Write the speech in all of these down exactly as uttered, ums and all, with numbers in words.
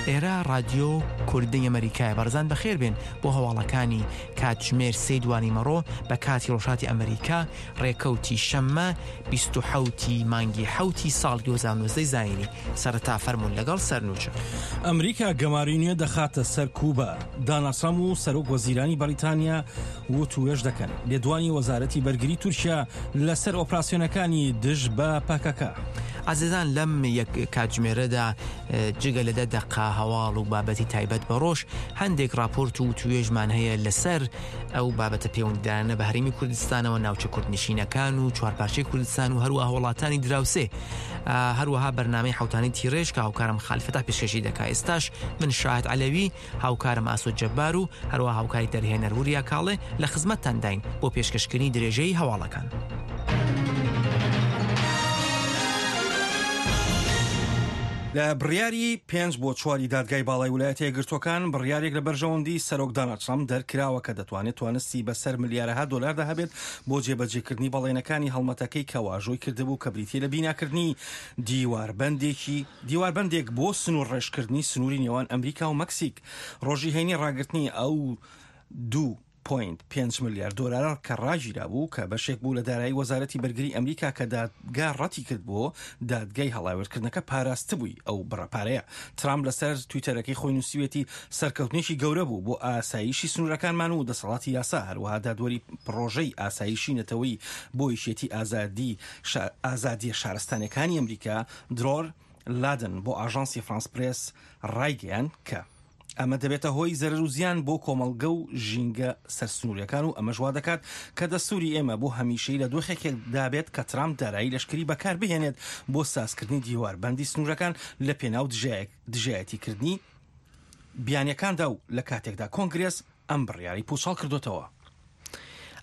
ئێرە ڕادیۆ کوردی ئەمریکایە. بەڕێزان بەخێر بێن بۆ هەواڵەکانی کاتژمێر سێ دوانیمەڕۆ بە کاتی ڕۆژهەڵاتی ئەمریکا، ڕێکەوتی شەممە بیست و حەوتی مانگی حەوتی ساڵ دوو هەزار و نۆزدە زایینی. سەرەتا فەرموون لەگەڵ سەرنوچە. ئەمریکا گەماری نوێ دەخاتە سەر کوبا. داناڵد ترەمپ و سەرۆک وەزیرانی بەریتانیا وتوێژ دەکەن. لێدوانی وەزارەتی بەرگری تورکیا لەسەر ئۆپراسیۆنەکانی دژ بە پەکەکە. ئازیزان لەم یەک کاتژمێرەدا جگە لە دە دەقە هەواڵ و بابەتی تایبەت بە ڕۆژ، هەندێک راپۆرت و توێژمان هەیە لەسەر ئەو بابەتە پەیوەندیدارانە بە هەرێمی کوردستانەوە، ناوچە کوردنشینەکان و چوارپارچەی کوردستان و هەروەها وڵاتانی دراوسێ. هەروەها بەرنامەی حوتانی تیڕێژ کە هاوکارم خالیفەتا پێشکەشی دەکا. ئێستاش من شاهد عەلەوی، هاوکارم ئاسۆ جەبار و هەروەها هاوکاری دەرهێنەر وریا کاڵێ لە خزمەتتانداین بۆ پێشکەشکردنی درێژەی هەواڵەکان. لە بڕیاری پێنج بۆ چواری دادگای باڵای ویلایەتە یەکگرتووەکان بڕیارێک لە بەرژەوەندی سەرۆک داناڵد ترەمپ دەرکراوە کە دەتوانێت توانستی بەسەر ملیارەها دۆلاردا هەبێت بۆ جێبەجێکردنی بەڵێنەکانی هەڵمەتەکەی کە واژۆی کردبوو کە بریتیە لە بیناکردنی دیواربەندێکی دیواربەندێک بۆ سنوور ڕێژکردنی سنووری نێوان ئەمریکا و مەکسیک. ڕۆژی هەینی ڕاگرتنی ئەو دوو پوینت پێنج ملیار دۆلار کە ڕاگیرا بوو کە بەشێک بوو لە دارایی وەزارەتی بەرگری ئەمریکا کە دادگا ڕەتی کرد بۆ دادگای هەڵاوێردکردنەکە پاراستبووی ئەو بڕە پارەیە. ترامپ لەسەر تویتەرەکەی خۆی نووسیوێتی سەرکەوتنێکی گەورە بوو بۆ ئاسایشی سنوورەکانمان و دەسەڵاتی یاسا، هەروەها دادوەری پڕۆژەی ئاسایشی نەتەوەی بۆ یەکێتی ئازادی ئازادیە شارستانیەکانی ئەمریکا درۆر لادن بۆ ئاژانسی فرانس پرێس ڕایگەیاند کە ئەمە دەبێتە هۆی زەرەر و زیان بۆ کۆمەڵگە و ژینگە سەرسنووریەکان و ئەمەش وا دەکات کە دەستوری ئێمە بۆ هەمیشەی لە دۆخێکدا بێت کە ترامپ دارایی لەشکری بەکار بهێنێت بۆ سازکردنی دیواربەندی سنوورەکان لە پێناو دژایەتیکردنی بیانیەکاندا و لە کاتێکدا کۆنگرێس ئەم بڕیاری پوچەڵ کردوتەوە.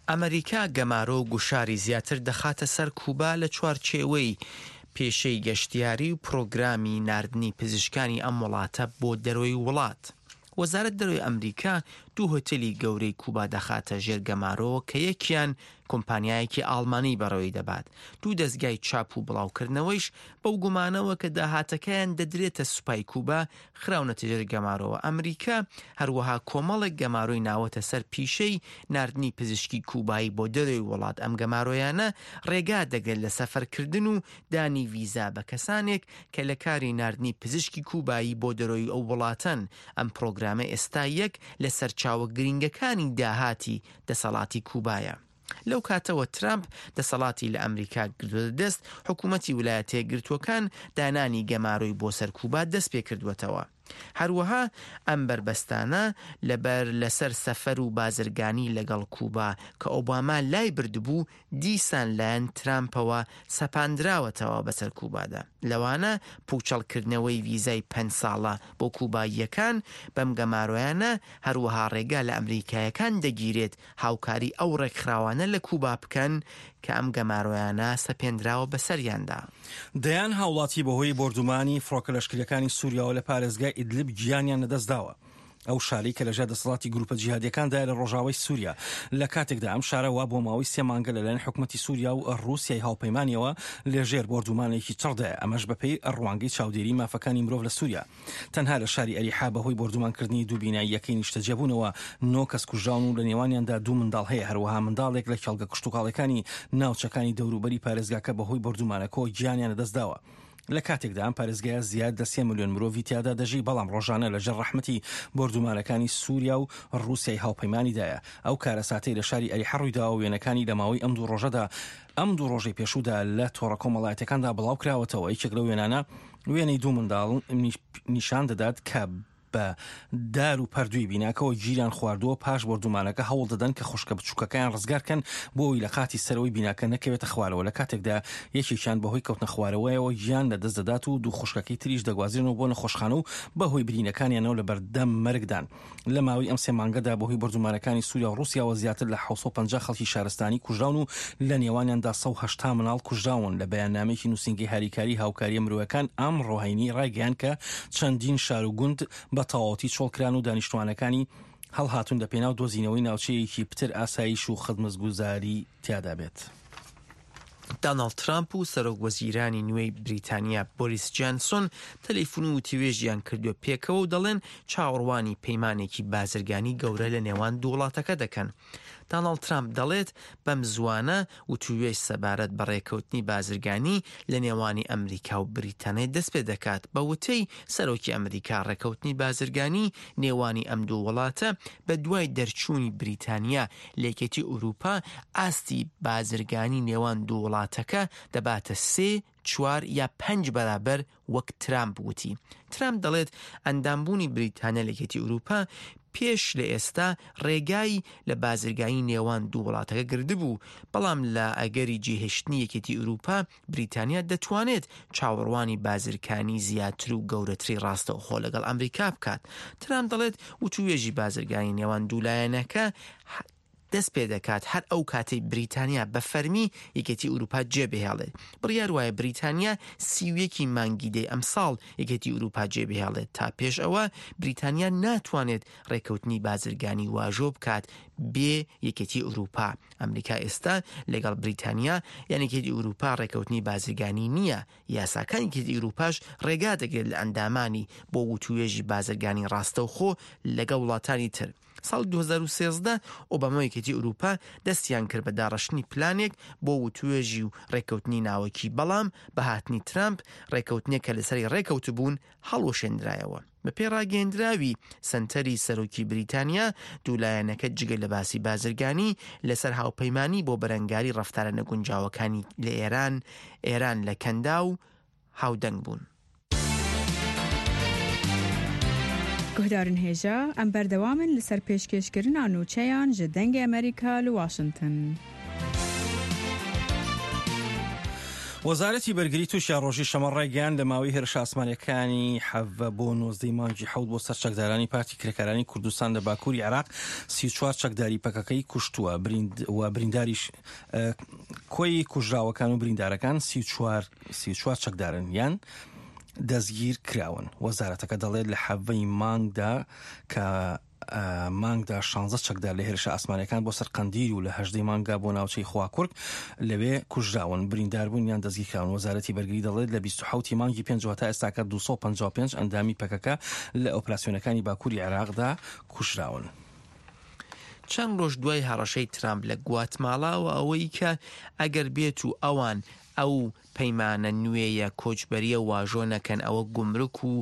ئەمریکا گەمارۆ و گوشاری زیاتر دەخاتە سەر کوبا لە چوارچێوەی پێشەی گەشتیاری و پرۆگرامی ناردنی پزیشکانی ئەم وڵاتە بۆ دەرەوەی وڵات. وەزارەت دەرەوەی ئەمریکا دوو هۆتێلی گەورەی کوبا دەخاتە ژێر گەمارۆوە کە یەکیان کۆمپانیایەکی ئاڵمانی بەڕێوەی دەبات. دوو دەستگای چاپ و بڵاوکردنەوەیش بەو گومانەوە کە داهاتەکەیان دەدرێتە سوپای کوبا خراونەتە ژێر گەمارۆوە. ئەمریکا هەروەها کۆمەڵێک گەمارۆی ناوەتە سەر پیشەی ناردنی پزیشکی کوبایی بۆ دەرەوەی وڵات. ئەم گەمارۆیانە ڕێگا دەگرێت لە سەفەرکردن و دانی ڤیزا بە کەسانێک کە لە کاری ناردنی پزیشکی کوبایی بۆ دەرەوەی ئەو وڵاتەن. ئەم پرۆگرامە ئێستا یەک لە سەرچاوە گرنگەکانی داهاتی دەسەڵاتی کوبایە. لەو کاتەوە ترامپ دەسەڵاتی لە ئەمریکا گرتووەتە دەست، حکوومەتی ویلایەتە یەکگرتووەکان دانانی گەمارۆی بۆ سەر کوبا دەست پێ کردووەتەوە. هەروەها ئەم بەربەستانە لەبەر لەسەر سەفەر و بازرگانی لەگەڵ کوبا کە ئۆباما لای بردبوو دیسان لایەن ترامپەوە سەپاندراوەتەوە بەسەر کوبادا. لەوانە پوچەڵکردنەوەی ڤیزای پەنج ساڵە بۆ کوباییەکان بەم گەمارۆیانە، هەروەها ڕێگا لە ئەمریکایەکان دەگیرێت هاوکاری ئەو ڕێکخراوانە لە کوبا بکەن کە ئەم گەمارۆیانە سەپێنراوە بەسەریاندا. دەیان هاوڵاتی بەهۆی بۆردومانی فڕۆکە لەشکریەکانی سووریاوە لە پارێزگای ئیدلب گیانیان لەدەستداوە. ئەو شارەی کە لەژێر دەسەڵاتی گروپە جیهادیەکاندایە لە ڕۆژاوای سووریا، لە کاتێکدا ئەم شارە وا بۆ ماوەی سێ مانگە لەلایەن حکوومەتی سووریا و ڕووسیای هاوپەیمانیەوە لەژێر بۆردومانێکی چڕدایە، ئەمەش بەپێی ڕوانگەی چاودێری مافەکانی مرۆڤ لە سووریا. تەنها لە شاری ئەریحا بەهۆی بۆردومانکردنی دوو بیناییەکەی نیشتەجێبوونەوە نۆ کەس کوژراون و لە نێوانیاندا دوو منداڵ هەیە. هەروەها منداڵێک لە کێڵگە کشتوکاڵەکانی ناوچەکانی دەوروبەری پارێزگاکە بەهۆی بۆردومانەکەوە گیانیان لەدەستداوە. لە کاتێکدا ئەم پارێزگایە زیاد لە سێ ملیۆن مرۆڤی تیادا دەژی، بەڵام ڕۆژانە لەژێر ڕەحمەتی بۆردومانەکانی سووریا و ڕووسیای هاوپەیمانیدایە. ئەو کارەساتەی لە شاری ئەریحا ڕوویداوە وێنەکانی لە ماوەی ئەم دوو ڕۆژەدا ئەم دوو ڕۆژەی پێشوودا لە تۆڕە کۆمەڵایەتیەکاندا بڵاو کراوەتەوە. یەکێک لەو وێنانە وێنەی دوو منداڵ نیشان دەدات کە بە دار و پەردووی بیناکەوە گیریان خواردووە. پاش بۆردومانەکە هەوڵ دەدەن کە خوشکە بچووکەکەیان ڕزگارکەن بۆ ئەوەی لە قاتی سەرەوەی بیناکە نەکەوێتە خوارەوە، لە کاتێکدا یەکێکیان بەهۆی کەوتنە خوارەوەیەوە گیان لەدەست دەدات و دوو خوشکەکەی تریش دەگوازرێنەوە بۆ نەخۆشخانە و بەهۆی برینەکانیانەوە لە بەردەم مەرگدان. لە ماوەی ئەم سێ مانگەدا بەهۆی بۆردومانەکانی سووریا و ڕووسیاوە زیاتر لە حەوت سەد و پەنجا خەڵکی شارستانی کوژراون و لە نێوانیاندا سەد و هەشتا مناڵ کوژراون. لە بەیاننامەیەکی نووسینگەی هاریکاری هاوکاریە مرۆیەکان ئەمڕۆ هەینی ڕایگەیاند کە چەندین شار و گوند بە تەواوەتی چۆڵکران و دانیشتوانەکانی هەڵهاتوون لە پێناو دۆزینەوەی ناوچەیەکی پتر ئاسایش و خزمەتگوزاری تیادا بێت. داناڵد ترامپ و سەرۆک وەزیرانی نوێی بریتانیا بۆریس جانسۆن تەلەفۆن و وتوێژیان کردووە پێکەوە و دەڵێن چاوەڕوانی پەیمانێکی بازرگانی گەورە لە نێوان دوو وڵاتەکە دەکەن. داناڵد ترامپ دەڵێت بەم زووانە وتوێژ سەبارەت بە ڕێکەوتنی بازرگانی لە نێوانی ئەمریکا و بریتانیا دەست پێ دەکات. بە وتەی سەرۆکی ئەمریکا ڕێکەوتنی بازرگانی نێوانی ئەم دوو وڵاتە بە دوای دەرچوونی بریتانیا لە یەکێتی ئەوروپا ئاستی بازرگانی نێوان دوو وڵاتەکە دەباتە سێ، چوار یا پەنج بەرابەر وەک ترامپ وتی. ترامپ دەڵێت ئەندامبوونی بریتانیا لە یەکێتی ئەوروپا پێش لە ئێستا ڕێگای لە بازرگانی نێوان دوو وڵاتەکە گردبوو، بەڵام لە ئەگەری جێهێشتنی یەکێتی ئەوروپا بریتانیا دەتوانێت چاوەڕوانی بازرگانی زیاتر و گەورەتری ڕاستەوخۆ لەگەڵ ئەمریکا بکات. ترامپ دەڵێت وتوێژی بازرگانی نێوان دوو لایەنەکە دەست پێ دەکات هەر ئەو کاتەی بریتانیا بە فەرمی یەکێتی ئەوروپا جێبهێڵێت. بڕیار وایە بریتانیا سی و یەکی مانگی دەی ئەمساڵ یەکێتی ئەوروپا جێبهێڵێت. تا پێش ئەوە بریتانیا ناتوانێت ڕێکەوتنی بازرگانی واژۆ بکات بێ یەکێتی ئەوروپا. ئەمریکا ئێستا لەگەڵ بریتانیا یان یەکێتی ئەوروپا ڕێکەوتنی بازرگانی نییە. یاساکانی یەکێتی ئەوروپاش ڕێگا دەگرێت لە ئەندامانی بۆ وتوێژی بازرگانی ڕاستەوخۆ لەگەڵ وڵاتانی تر. ساڵ دوو هەزار و سێزدە ئۆباما و یەکێتی ئەوروپا دەستیان کرد بە داڕشتنی پلانێک بۆ وتوێژی و ڕێککەوتنی ناوەکی، بەڵام بە هاتنی ترامپ ڕێککەوتنێک کە لەسەری ڕێکەوتبوون هەڵوەشێنرایەوە. بە پێی ڕاگەیەندراوی سەنتەری سەرۆکی بریتانیا دوولایەنەکە جگە لە باسی بازرگانی لەسەر هاوپەیمانی بۆ بەرەنگاری ڕەفتارە نەگونجاوەکانی لە ئێران ئێران لە کەندا و هاودەنگ بوون. گوهدارن هێژا ئەم بەردەوامن لەسەر پێشکێشکردنا نوچەیان ji دەنگê ئەمریکا li واشنگتن. وەزارەتی بەرگری تورکیا ڕۆژی شەمە ڕایگەیاند لە ماوەی هێرشە ئاسمانیەکانی حەڤە بۆ نۆزدەی مانگی حەوت بۆ سەر چەکدارانی پارتی کرێکارانی کوردستان لە باکووری عێراق سی و چوار چەکداری پەکەکەی کوشتووە و برینداریش کۆی کوژراوەکان و بریندارەکان سی و چوار چەکدارن یان دەستگیر کراون. وەزارەتەکە دەڵێت لە حەڤەی مانگدا کە مانگدا شانزە چەکدار لە هێرشە ئاسمانەکان بۆ سەر قەندیل و لە هەژدەی مانگا بۆ ناوچەی خواکورک لەوێ کوژراون، برینداربوون یان دەستگیرکراون. وەزارەتی بەرگری دەڵێت لە بیست و حەوتی مانگی پێنج تا ئێستاکە دوو سەد و پەنجا و پێنج ئەندامی پەکەکە لە ئۆپراسیۆنەکانی باکووری عێراقدا کوژراون. چەند ڕۆژ دوای هەڕەشەی ترامپ لە گواتمالاوە ئەوەی کە ئەگەر بێت و ئەوان ئەو پەیمانە نوێیە کۆچبەریە واژۆ نەکەن ئەوە گومرک و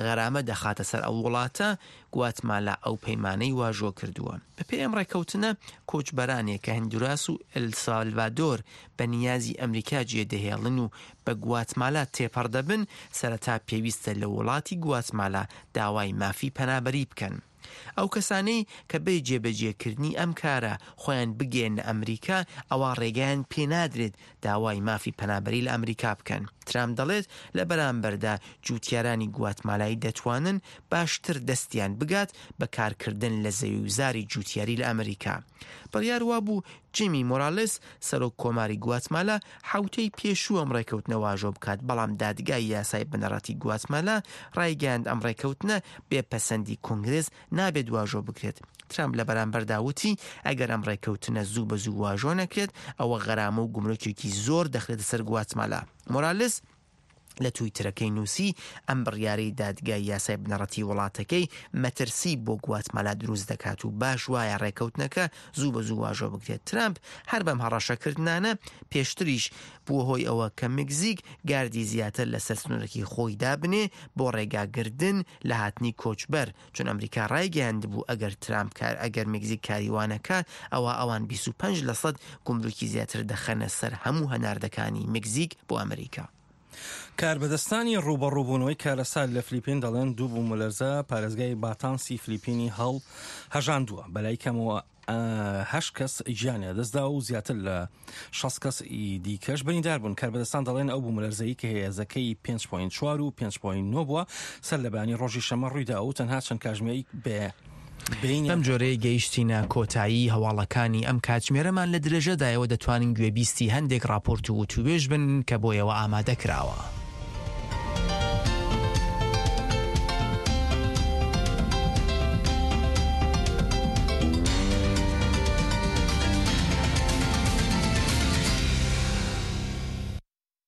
غەرامە دەخاتە سەر ئەو وڵاتە، گواتمالا ئەو پەیمانەی واژۆ کردووە. بەپێی ئەم ڕێککەوتنە کۆچبەرانێک کە هەندوراس و ئەلسالڤادۆر بە نیازی ئەمریکا جێدەهێڵن و بە گواتمالا تێپەڕ دەبن، سەرەتا پێویستە لە وڵاتی گواتمالا داوای مافی پەنابەری بکەن. ئەو کەسانەی کە بێ جێبەجێکردنی ئەم کارە خۆیان بگەیەنە ئەمریکا ئەوە ڕێگەیان پێنادرێت داوای مافی پەنابەری لە ئەمریکا بکەن. ترامپ دەڵێت لە بەرامبەردا جووتیارانی گواتمالایی دەتوانن باشتر دەستیان بگات بە کارکردن لە زەویوزاری جووتیاری لە ئەمریکا. بڕیار وابوو جیمی مۆرالس سەرۆک کۆماری گواتمالا حوتەی پێشوو ئەم ڕێکەوتنە واژۆ بکات، بەڵام دادگای یاسای بنەڕەتی گواتمالا ڕایگەیاند ئەم ڕێکەوتنە بێپەسەندی کۆنگرێس نابێت واژۆ بکرێت. ترامپ لە بەرامبەردا وتی ئەگەر ئەم ڕێکەوتنە زوو بە زوو واژۆ نەکرێت ئەوە غەرامە و گومرکێکی زۆر دەخرێتە سەر گواتمالا. مۆرالس لە تویتەرەکەی نووسی ئەم بڕیارەی دادگای یاسای بنەڕەتی وڵاتەکەی مەترسی بۆ گواتمالا دروست دەکات و باش وایە ڕێکەوتنەکە زوو بە زوو واژۆ بکرێت. ترامپ هەر بەم هەڕەشەکردنانە پێشتریش بووە هۆی ئەوە کە مەکزیک گاردی زیاتر لەسەر سنوورەکی خۆی دابنێ بۆ ڕێگاگردن لە هاتنی کۆچبەر، چون ئەمریکا ڕایگەیاندبوو ئەگەر ترامپ کار ئەگەر مەکزیک کاریوانەکات ئەوە ئەوان بیست و پەنج لەسەد گومرکی زیاتر دەخەنە سەر هەموو هەناردەکانی مەکزیک بۆ ئەمریکا. کاربەدەستانی ڕووبەڕووبوونەوەی کارەسات لە فلیپین دەڵێن دوو بوومەلەرزە پارێزگای باتانسی فلیپینی هەڵ هەژاندووە. بەلای کەمەوە هەشت کەس گیانیان لەدەستدا و زیاتر لە شەست کەس دیکەش بریندار بوون. کاربەدەستان دەڵێن ئەو بوومەلەرزەی کە هێزەکەی پێنج پۆینت چوار و پێنج پۆینت نۆ بووە سەر لە بەیانی ڕۆژی شەممە ڕوویدا و تەنها چەند کاتژمێرێک بێ بەم جۆرەیە گەیشتینە کۆتایی هەواڵەکانی ئەم کاتژمێرەمان. لە درێژەدایەوە دەتوانین گوێبیستی هەندێک راپۆرت و وتوێژ بن کە بۆیەوە ئامادە کراوە.